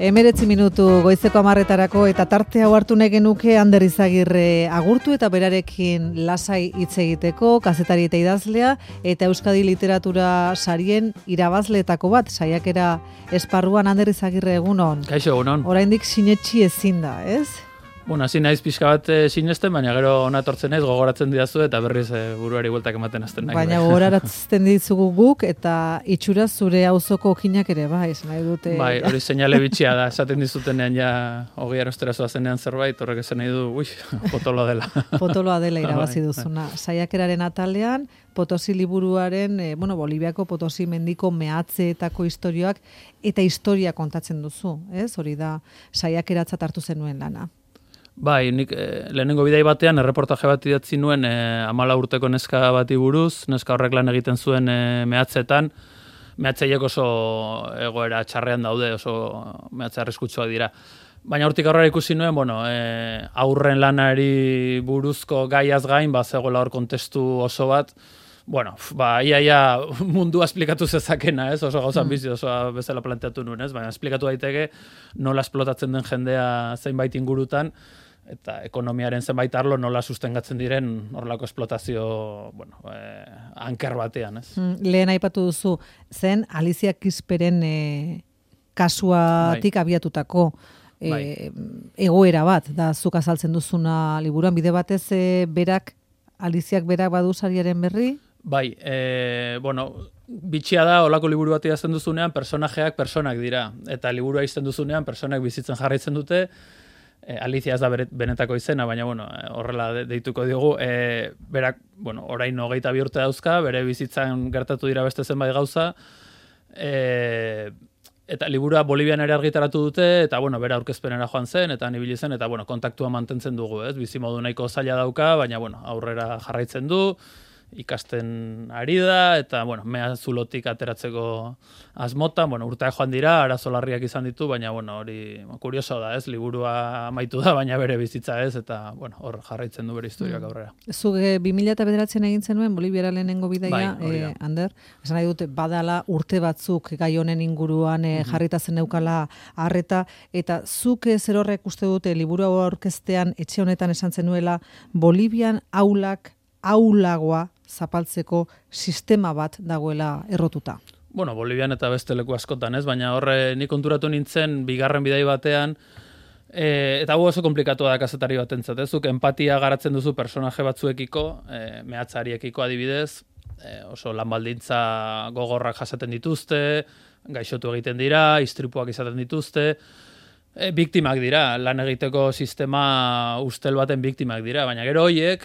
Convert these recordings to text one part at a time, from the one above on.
19 minutu goizeko 10:00 eta tarte hau hartu nahi genuke Ander Izagirre agurtu eta berarekin lasai hitz egiteko, kazetari eta idazlea eta Euskadi literatura sarien irabazleetako bat, saiakera esparruan. Ander Izagirre, egunon. Kaixo, egunon. Oraindik sinetsi ezin da, ez? Bueno, hasi naiz pixka bat sinesten, baina gero ona etortzen naiz, gogoratzen didazu eta berriz buruari bueltak ematen hasten nahi. Baina gogoratzen ditugu guk eta itxura zure auzoko okinak ere, bai, esan nahi dute. Bai, hori seinale bitxia da, esaten dizutenean ja 20 arostera zoazenean zerbait, horrek esan nahi du, potoloa dela. Potoloa dela irabazi duzuna. Saiakeraren atalean, Potosi liburuaren, Boliviako Potosi mendiko mehatzeetako istorioak eta historia kontatzen duzu, ez? Hori da saiakeratzat hartu zenuen lana. Bai, nik lehenengo bidai batean erreportaje bat idatzi nuen 14 urteko neska bati buruz, neska horrek lan egiten zuen mehatzeetan, mehatzeiek oso egoera txarrean daude, oso mehatze arriskutsua dira. Baina hortik aurrera ikusi nuen, aurren lanari buruzko gaiaz gain, zegoela hor kontestu oso bat, ia mundua esplikatu zezakena, ez? Oso gauzan bizi, oso bezala planteatu nuen, ez? Baina esplikatu daiteke nola esplotatzen den jendea zenbait ingurutan, eta ekonomiaren zenbait arlo nola sustengatzen diren horrelako esplotazio, anker batean, ez? Lehen aipatu duzu, zen Alicia Kisperen kasuatik abiatutako egoera bat, da zuk azaltzen duzuna liburuan, bide batez Aliziak berak badu sariaren berri? Bai, bitxia da, olako liburu bat idazten duzunean, personajeak personak dira, eta liburua izten duzunean, personak bizitzen jarraitzen dute, Alicia ez da benetako izena, baina horrela deituko diogu, berak, orain 22 urte dauzka, bere bizitzan gertatu dira beste zenbait gauza, eta liburua Bolivian ere argitaratu dute, eta bera aurkezpenera joan zen, eta nibili zen, eta kontaktua mantentzen dugu, ez? Bizimodu nahiko zaila dauka, baina aurrera jarraitzen du, ikasten ari da, eta mea zulotik ateratzeko asmota, urteak joan dira, arazo larriak izan ditu, baina hori kurioso da, ez? Liburua amaitu da, baina bere bizitza ez, eta hor jarraitzen du bere historiak aurrera. Zuk 2009 egin zenuen Boliviara lehenengo bidaia, Ander, esan nahi dute badala urte batzuk gai honen inguruan jarrita zen neukala harreta, eta zuk zer horrek uste dute liburua aurkeztean etxe honetan esan zenuela Bolivian aulagoa zapaltzeko sistema bat dagoela errotuta. Bolivian eta beste leku askotan, ez? Baina horre nik konturatu nintzen bigarren bidai batean, eta oso komplikatu da kazetari batentzat, ez? Zuk empatia garatzen duzu personaje batzuekiko, mehatzariekiko adibidez, oso lanbaldintza gogorrak jasaten dituzte, gaixotu egiten dira, istripuak izaten dituzte, biktimak dira, lan egiteko sistema ustel baten biktimak dira, baina gero horiek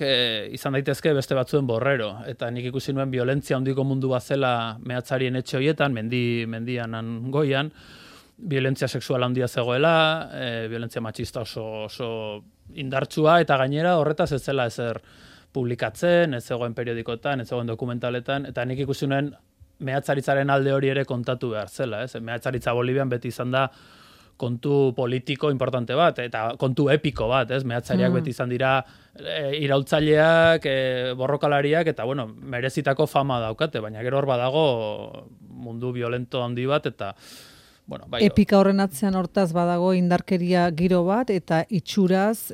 izan daitezke beste batzuen borrero, eta nik ikusi nuen violentzia handiko mundu bat zela mehatzarien etxe horietan, mendian goian, violentzia sexuala handia zegoela, violentzia matxista oso indartsua, eta gainera horretaz ez zela ezer publikatzen, ez zegoen periodikoetan, ez zegoen dokumentaletan, eta nik ikusi nuen mehatzaritzaren alde hori ere kontatu behar zela, ez? Mehatzaritza Bolivian beti izan da kontu politiko importante bat, eta kontu epiko bat, ez? Mehatzariak beti izan dira iraultzaileak, borrokalariak, eta merezitako fama daukate, baina gero hor badago mundu violento handi bat, eta epika horren atzean hortaz badago indarkeria giro bat, eta itxuraz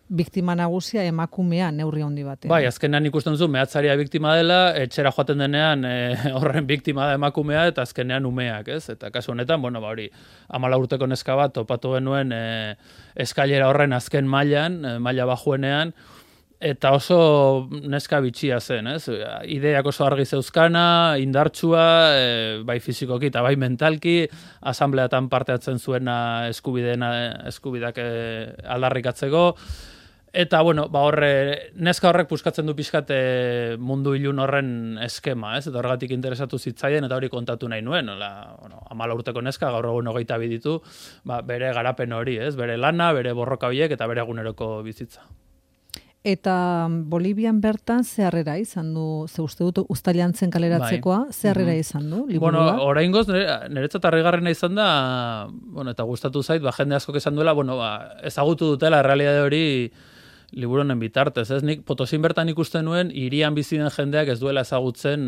biktima nagusia emakumea neurri handi batean. Bai, azkenean ikusten duzu, mehatzaria biktima dela, etxera joaten denean horren biktima da emakumea, eta azkenean umeak, ez? Eta kasu honetan, hori, 14 urteko neska bat topatu genuen eskailera horren azken maila bajuenean, eta oso neska bitxia zen, ez? Ideak oso argi zeuzkana, indartsua, bai fizikoki eta bai mentalki, asambleatan parte hartzen zuena eskubideak aldarrikatzeko, eta neska horrek puskatzen du pixkat mundu ilun horren eskema, ez? Eta horregatik interesatu zitzaien, eta hori kontatu nahi nuen, 14 urteko neska, gaur egun 22 ditu, bere garapen hori, ez? Bere lana, bere borroka horiek, eta bere eguneroko bizitza. Eta Bolivian bertan ze harrera izan du, ze uste dut uztailean zen kaleratzekoa, ze harrera izan du, liburua? Oraingoz niretzat harrigarrena izan da, eta gustatu zait, jende askok esan duela, ezagutu dutela errealitate hori liburu honen bitartez, ez? Nik Potosin bertan ikusten nuen hirian bizi den jendeak ez duela ezagutzen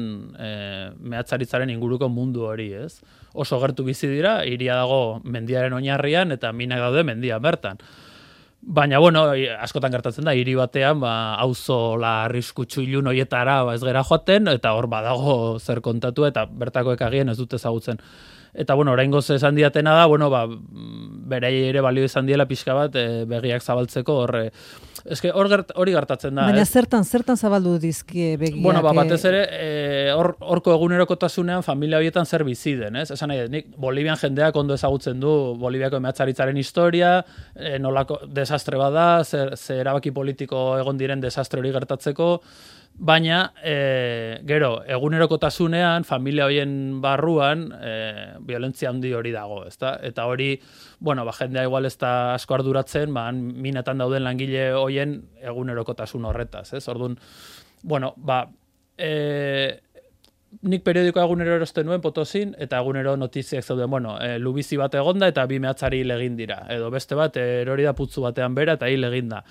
mehatzaritzaren inguruko mundu hori, ez? Oso gertu bizi dira, hiria dago mendiaren oinarrian eta minak daude mendian bertan. Baina, bueno, askotan gertatzen da, hiri batean, auzo arriskutsu ilun hoietara ez gera joaten, eta hor badago zer kontatu, eta bertakoek agien ez dute ezagutzen. Eta, bueno, oraingoz esan diatena da, bueno, berei ere balio izan diela pixka bat, begiak zabaltzeko, hori gertatzen da. Baina zertan zabaldu dizkie begiak? Bueno, batez ere, horko egunerokotasunean familia horietan zer bizi den, ez? Esan nahi, nik Bolivian jendeak ondo ezagutzen du Boliviako mehatzaritzaren historia, nolako desastre bada, zer erabaki politiko egon diren desastre hori gertatzeko, baina, gero, egunerokotasunean, familia horien barruan, violentzia handi hori dago, ezta? Eta hori, bueno, jendea igual ez da asko arduratzen, minetan dauden langile horien egunerokotasun horretaz, ez? Orduan, bueno, nik periodikoa egunero erosten nuen Potosin, eta egunero notiziak zeuden, bueno, lubizi bat egonda eta 2 mehatzari hil egin dira. Edo beste bat, erori da putzu batean bera eta hil egin da.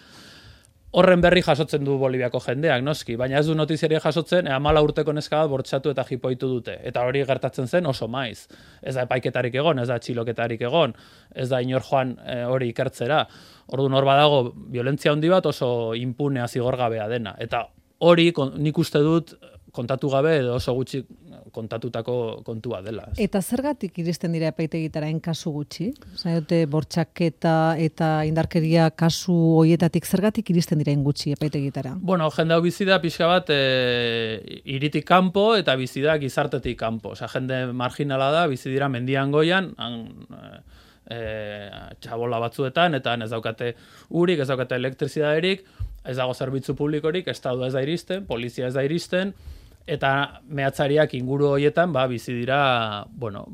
Horren berri jasotzen du Boliviako jendeak, noski, baina ez du notiziaria jasotzen, 14 urteko neska bat bortxatu eta jipoitu dute. Eta hori gertatzen zen oso maiz. Ez da epaiketarik egon, ez da txiloketarik egon, ez da inor joan hori ikertzera. Orduan hor badago violentzia handi bat oso impunea zigorgabea dena. Eta hori nik uste dut kontatu gabe edo oso gutxi kontatutako kontua dela. Eta zergatik iristen dira epaitegitara kasu gutxi? Zaiote bortxaketa eta indarkeria kasu hoietatik zergatik iristen dira gutxi epaitegitara? Bueno, jende hau bizi da pixka bat hiritik kanpo eta bizi da gizartetik kanpo. Osea, jende marginala da, bizi dira mendian goian, txabola batzuetan, eta ez daukate urik, ez daukate elektrizidaderik, ez dago zerbitzu publikorik, estadua ez da iristen, polizia ez da iristen, eta mehatzariak inguru horietan bizi dira, bueno,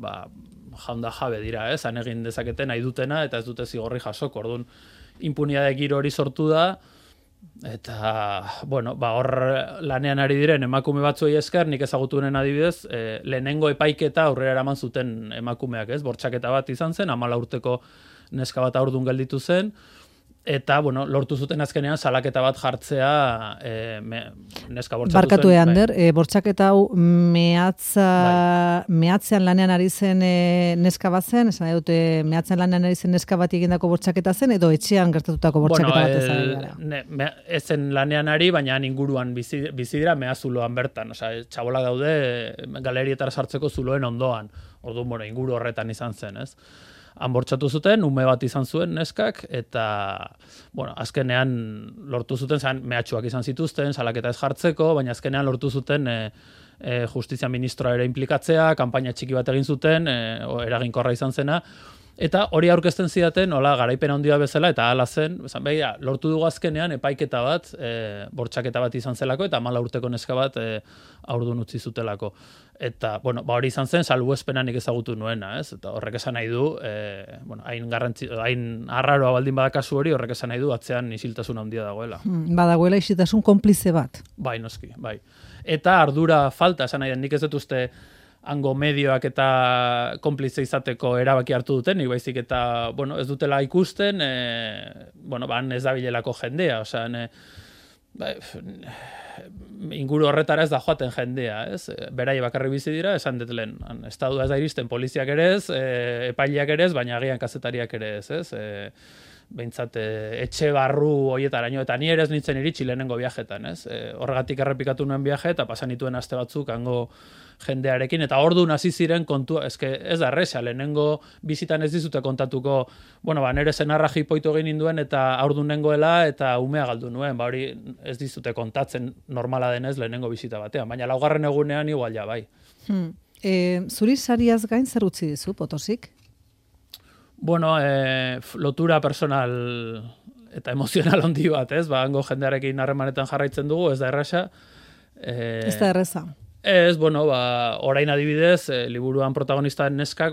jaunda jabe dira, han egin dezaketen nahi dutena eta ez dute zigorri jasoko. Orduan, impunidade giro hori sortu da, eta, bueno, hor lanean ari diren emakume batzuei esker, nik ezagutunen adibidez, lehenengo epaiketa aurrera eraman zuten emakumeak, bortxaketa bat izan zen, 14 urteko neska bat aurdun gelditu zen, eta, bueno, lortu zuten azkenean salaketa bat jartzea neska bortxatu zen. Barkatu Ander, bortxaketa hau mehatzean lanean ari zen neska bat zen, esan dute mehatzean lanean ari zen neska bat egindako bortxaketa zen, edo etxean gertatutako bortxaketa bat ezagara? Ez zen lanean ari, baina inguruan bizi dira mehazuloan bertan. Osea, txabola daude galerietara sartzeko zuloen ondoan. Orduan, bueno, inguru horretan izan zen, ez? Han bortxatu zuten, ume bat izan zuen neskak, eta, bueno, azkenean lortu zuten, mehatxuak izan zituzten, salaketa ez jartzeko, baina azkenean lortu zuten justizia ministroa ere implikatzea, kanpaina txiki bat egin zuten, eraginkorra izan zena, eta hori aurkezten zidaten, garaipen handia bezala, eta hala zen, lortu dugu azkenean epaiketa bat, bortxaketa bat izan zelako, eta 14 urteko neska bat aurdun utzi zutelako. Eta, bueno, hori izan zen, salbuespena nik ezagutu nuena, ez? Eta horrek esan nahi du, bueno, hain arraroa baldin badakazu hori, horrek esan nahi du, atzean isiltasun handia dagoela. Badagoela isiltasun konplize bat. Bai, noski, bai. Eta ardura falta, esan nahi den, nik ez dut uste hango medioak eta konplize izateko erabaki hartu duten, nik baizik eta, bueno, ez dutela ikusten, bueno, ez da bilelako jendea, osea, inguru horretara ez da joaten jendea, ez? Berai bakarri bizi dira, esan dut lehen, estadua ez da iristen, poliziak ere ez, epaileak ere ez, baina agian kazetariak ere ez? Behintzat, etxe barru hoietaraino, eta ni ere ez nintzen iritsi lehenengo viajetan, ez? Horregatik errepikatu nuen viaje, eta pasan nituen aste batzuk hango jendearekin, eta orduan hasi ziren kontua, ez da erresa, lehenengo bizitan ez dizute kontatuko, bueno, nere senarra jipoitu egin ninduen, eta aurdun nengoela, eta umea galdu nuen, hori ez dizute kontatzen normala denez lehenengo bizita batean, baina laugarren egunean igual ja, bai. Zuri sariaz gain zer utzi dizu, Potosik? Bueno, lotura personal eta emozional handi bat, ez? Hango jendearekin harremanetan jarraitzen dugu, ez da erresa. Ez da erresa. Ez, bueno, orain adibidez, liburuan protagonista neskak,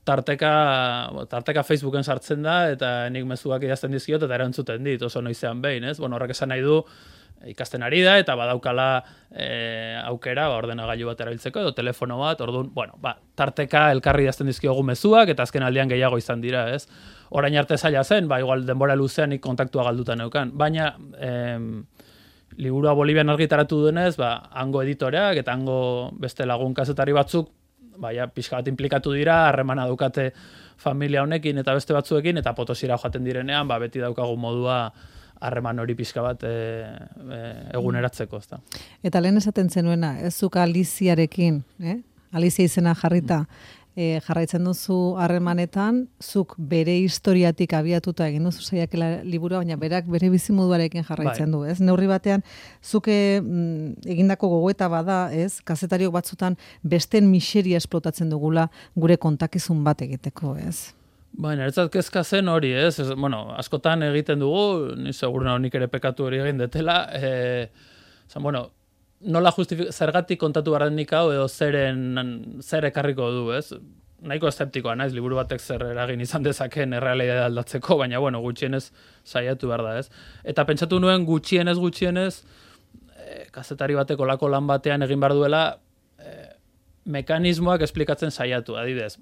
tarteka Facebooken sartzen da, eta nik mezuak idazten dizkiot, eta erantzuten dit, oso noizean behin, ez? Bueno, horrek esan nahi du, ikasten ari da, eta badaukala aukera ordenagailu bat erabiltzeko, edo telefono bat, orduan, tarteka elkarri idazten dizkiogu mezuak, eta azken aldian gehiago izan dira, ez? Orain arte zaila zen, igual denbora luzean kontaktua galduta neukan, baina liburua Bolivian argitaratu duenez, hango editoreak eta hango beste lagun kazetari batzuk, pixka bat implikatu dira, harremana daukate familia honekin eta beste batzuekin, eta Potosira joaten direnean, beti daukagu modua harreman hori pixka bat eguneratzeko. Ezta. Eta lehen esaten zenuena, ez zuk Aliziarekin, Alizia izena jarrita, jarraitzen duzu harremanetan, zuk bere historiatik abiatuta egin duzu saiakera liburua, baina berak bere bizimoduarekin jarraitzen du, ez? Neurri batean, zuk egindako gogoeta bada, ez? Kazetariok batzutan besten miseria esplotatzen dugula gure kontakizun bat egiteko, ez? Niretzat kezka zen hori, ez? Askotan egiten dugu, ni seguruna honik ere pekatu hori egin detela, nola zergatik kontatu barrenik hau edo zer ekarriko du, ez? Nahiko eszeptikoa naiz, liburu batek zer eragin izan dezakeen errealitatea aldatzeko, baina gutxienez saiatu behar da, ez? Eta pentsatu nuen gutxienez, kazetari batek olako lan batean egin behar duela, mekanismoak esplikatzen saiatu, adibidez,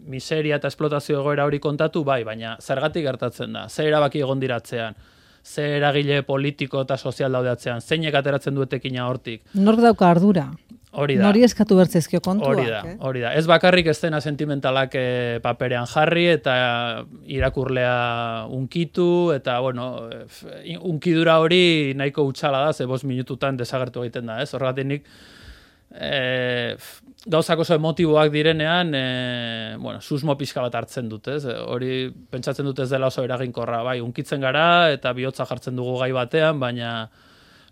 miseria eta esplotazio egoera hori kontatu, baina zergatik gertatzen da, zer erabaki egon diratzean, zer eragile politiko eta sozial daudeatzean, zeinek ateratzen duetekina hortik. Nork dauka ardura? Hori da. Nori eskatu bertzezkio kontuak. Hori da. Ez bakarrik eszena sentimentalak paperean jarri eta irakurlea unkitu, eta, unkidura hori nahiko hutsala da, 5 minututan desagertu egiten da, ez? Horregatik nik, gauzak oso emotiboak direnean, susmo pixka bat hartzen dut, ez? Hori pentsatzen dut ez dela oso eraginkorra, unkitzen gara eta bihotza jartzen dugu gai batean, baina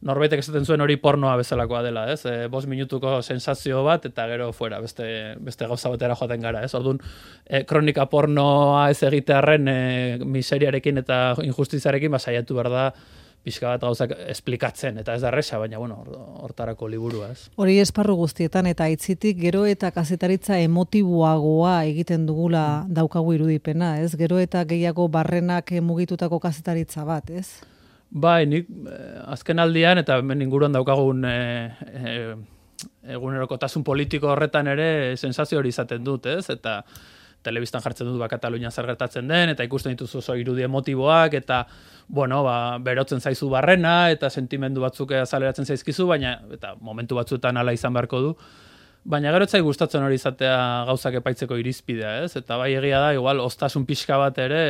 norbaitek esaten zuen hori pornoa bezalakoa dela, ez? 5 minutuko sensazio bat eta gero fuera, beste gauza batera joaten gara, ez? Orduan, kronika pornoa ez egitearren miseriarekin eta injustiziarekin saiatu behar da pixka bat gauzak esplikatzen, eta ez da erresa, baina, hortarako liburua, ez. Hori esparru guztietan, eta aitzitik gero eta kazetaritza emotiboagoa egiten dugula daukagu irudipena, ez? Gero eta gehiago barrenak mugitutako kazetaritza bat, ez? Nik azken aldian, eta hemen inguruan daukagun egunerokotasun politiko horretan ere sensazio hori izaten dut, ez? Eta telebistan jartzen dut Katalunian zer gertatzen den, eta ikusten dituzu oso irudi emotiboak, eta, berotzen zaizu barrena, eta sentimendu batzuk azaleratzen zaizkizu, baina, eta momentu batzuetan hala izan beharko du, baina gero etzai gustatzen hori izatea gauzak epaitzeko irizpidea, ez? Eta egia da, igual, ostasun pixka bat ere,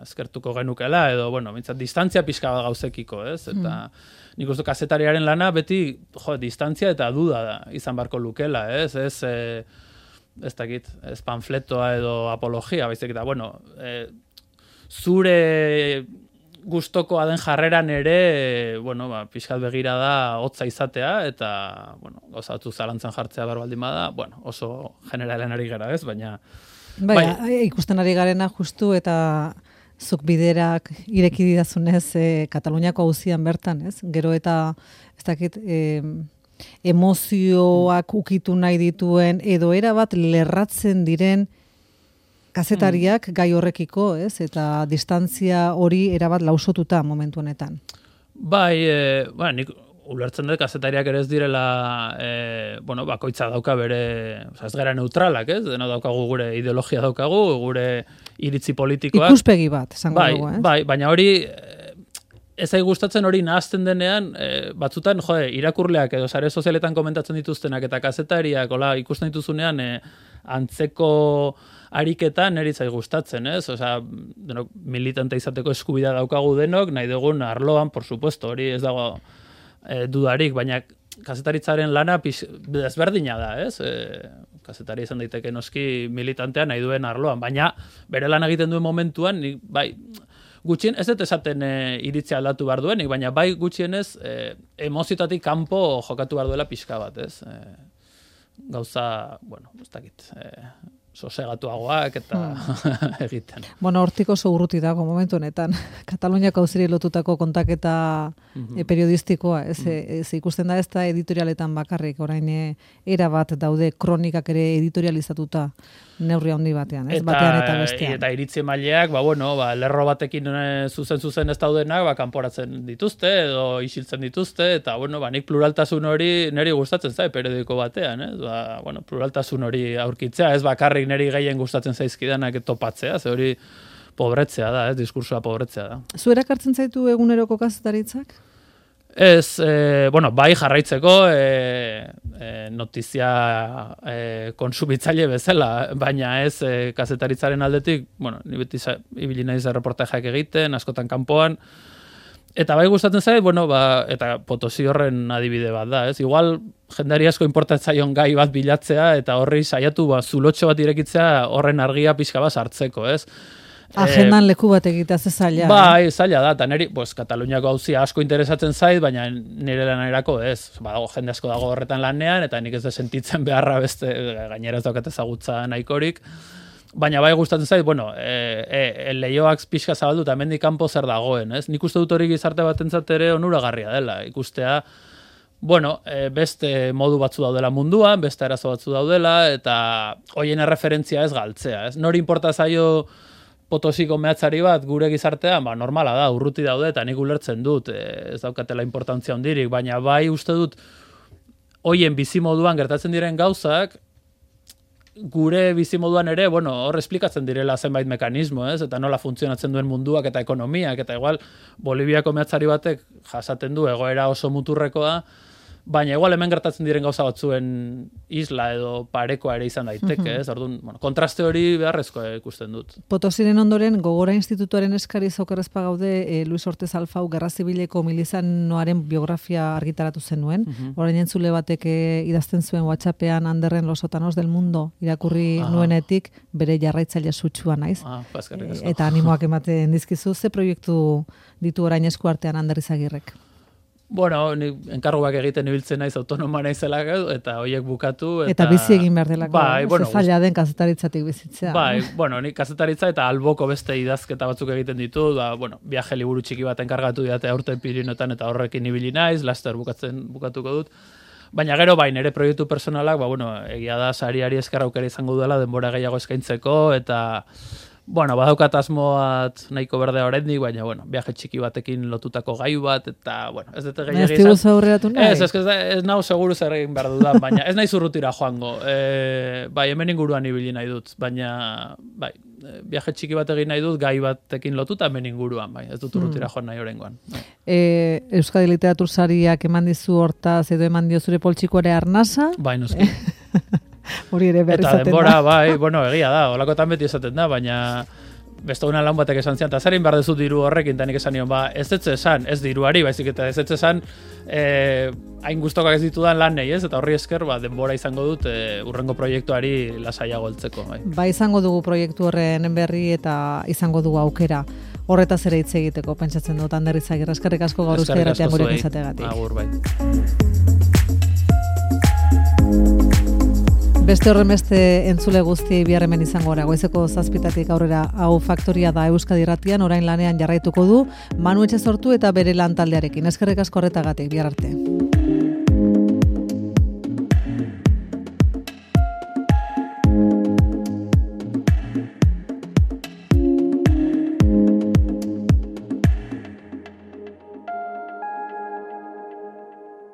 eskertuko genukela, edo, mintzat, distantzia pixka bat gauzekiko, ez? Eta nik uste kazetariaren lana beti, distantzia eta duda da, izan beharko lukela, ez? Ez dakit, ez panfletoa edo apologia, baizik eta, zure gustokoa den jarreran ere, pixkat begira da hotza izatea, eta, gauzatu zalantzan jartzea baldin bada, oso generalen ari gara, ez, baina... Ikusten ari garena justu eta zuk biderak ireki didazunez Kataluniako auzian bertan, ez? Gero eta, ez dakit... emozioak ukitu nahi dituen edo erabat lerratzen diren kazetariak gai horrekiko, ez? Eta distantzia hori erabat lausotuta momentu honetan. Nik ulertzen dut kazetariak ere ez direla, bakoitza dauka bere, ez gara neutralak, ez? Dena daukagu gure ideologia daukagu, gure iritzi politikoak. Ikuspegi bat, esango dugu, ez? Baina hori... Ez zai gustatzen hori nahazten denean, batzutan, irakurleak edo sare sozialetan komentatzen dituztenak eta kazetariak, ikusten dituzunean, antzeko ariketan niri zai gustatzen, ez? Militante izateko eskubidea daukagu denok, nahi dugun arloan, por supuesto, hori ez dago dudarik, baina kazetaritzaren lana desberdina da, ez? Kazetari izan daiteke noski militantea nahi duen arloan, baina bere lan egiten duen momentuan, gutxien, ez dut esaten iritzia aldatu behar duenik, baina gutxienez emoziotatik kanpo jokatu behar duela pixka bat, ez? Gauza, ez dakit, sosegatuagoak eta egiten. Bueno, hortik oso urruti dago momentu honetan. Kataluniako auziri lotutako kontaketa periodistikoa, ez ikusten da ez da editorialetan bakarrik, orain era bat daude kronikak ere editorializatuta neurri handi batean, ez batean eta bestean. Eta iritzi maileak, lerro batekin zuzen ez daudenak, kanporatzen dituzte edo isiltzen dituzte, eta nik pluraltasun hori niri gustatzen zait periodiko batean, ez? Pluraltasun hori aurkitzea, ez bakarrik niri gehien gustatzen zaizkidanak topatzea, ze hori pobretzea da, ez? Diskursoa pobretzea da. Zu erakartzen zaitu eguneroko kazetaritzak? Ez, bai jarraitzeko notizia konsumitzaile bezala, baina ez kazetaritzaren aldetik, ni beti ibili naiz reportajeak egiten, askotan kanpoan, eta bai gustatzen zait, eta Potosi horren adibide bat da, ez? Igual jendari asko importatzaion gai bat bilatzea, eta horri saiatu zulotxo bat irekitzea horren argia pixka bat sartzeko, ez? Agendan leku bat egitea ze zaila. Bai, zaila da, eta niri, Kataluniako auzia asko interesatzen zait, baina nire lanerako ez. Jende asko dago horretan lanean, eta nik ez da sentitzen beharra beste, gainera ez daukat ezagutza nahikorik. Baina bai gustatzen zait, leioak pixka zabaldu, eta hemendik kanpo zer dagoen, ez? Nik uste dut hori gizarte batentzat ere onuragarria dela, ikustea, beste modu batzu daudela munduan, beste arazo batzu daudela, eta hoien erreferentzia ez galtzea, ez? Nori inporta zaio Potosiko mehatzari bat gure gizartean, normala da, urruti daude, eta nik ulertzen dut, ez daukatela importantzia hondirik, baina bai uste dut, hoien bizimoduan gertatzen diren gauzak, gure bizimoduan ere, hor esplikatzen direla zenbait mekanismo, ez? Eta nola funtzionatzen duen munduak eta ekonomiak, eta igual, Boliviako mehatzari batek jasaten du egoera oso muturrekoa, baina igual hemen gertatzen diren gauza batzuen isla edo parekoa ere izan daiteke, ez? Orduan, kontraste hori beharrezko ikusten dut. Potosiren ondoren, Gogora Institutuaren eskariz okerrezpa gaude, Luis Ortez Alfau Gerra Zibileko milizanoaren biografia argitaratu zenuen. Orain entzule batek idazten zuen WhatsAppean Anderren Los Sotanos del Mundo irakurri nuenetik, bere jarraitzaile sutsua naiz. Eta animoak ematen dizkizu, ze proiektu ditu orain esku artean Ander Izagirrek? Ni enkarguak egiten ibiltzen naiz autonoma naizelak eta hoiek bukatu. Eta bizi egin behar delako. Zaila den kazetaritzatik bizitzea. Ni kazetaritza eta alboko beste idazketa batzuk egiten ditu. Viaje liburu txiki bat enkargatu didate aurten Pirinoetan eta horrekin ibili naiz, laster bukatuko dut. Baina gero nire proiektu personalak, egia da sariari esker aukera izango duela denbora gehiago eskaintzeko, eta badaukat asmoat nahiko berdea oraindik, baina, viaje txiki batekin lotutako gai bat, eta, ez dut gehiagia izan. Ez tibu aurreratu nahi? Ez nahu seguru zer egin behar dudan, baina ez nahi zurrutira joango. Hemen inguruan ibili nahi dut, baina, viaje txiki bat egin nahi dut, gai batekin lotuta hemen inguruan, ez dut urrutira joan nahi oraingoan. Euskadi Literatur Sariak eman dizu hortaz, edo eman dio zure poltsikoare arnasa? Noski. Hori ere berri zaten da. Eta denbora, egia da, holakotan beti esaten da, baina beste una lan batek esan zian, eta zarin behar dezu diru horrekin, eta nik esan nion, ez esan, ez diruari, baizik eta ez esan, hain guztokak ez ditudan lan nahi, ez? Eta horri esker, denbora izango dut urrengo proiektuari lasaiago heltzeko. Izango dugu proiektu horren berri eta izango dugu aukera. Horretaz ere hitz egiteko, pentsatzen dut, Ander Izagirre, eskerrik asko gaur Euskadi Irratian gurekin izateagatik. Agur, bai. Beste horren beste entzule guztiei bihar hemen izango gara. Goizeko 7:00 aurrera hau Faktoria da Euskadi Irratian, orain lanean jarraituko du Manu Etxezortu eta bere lan taldearekin. Eskerrik asko horretagatik, bihar arte.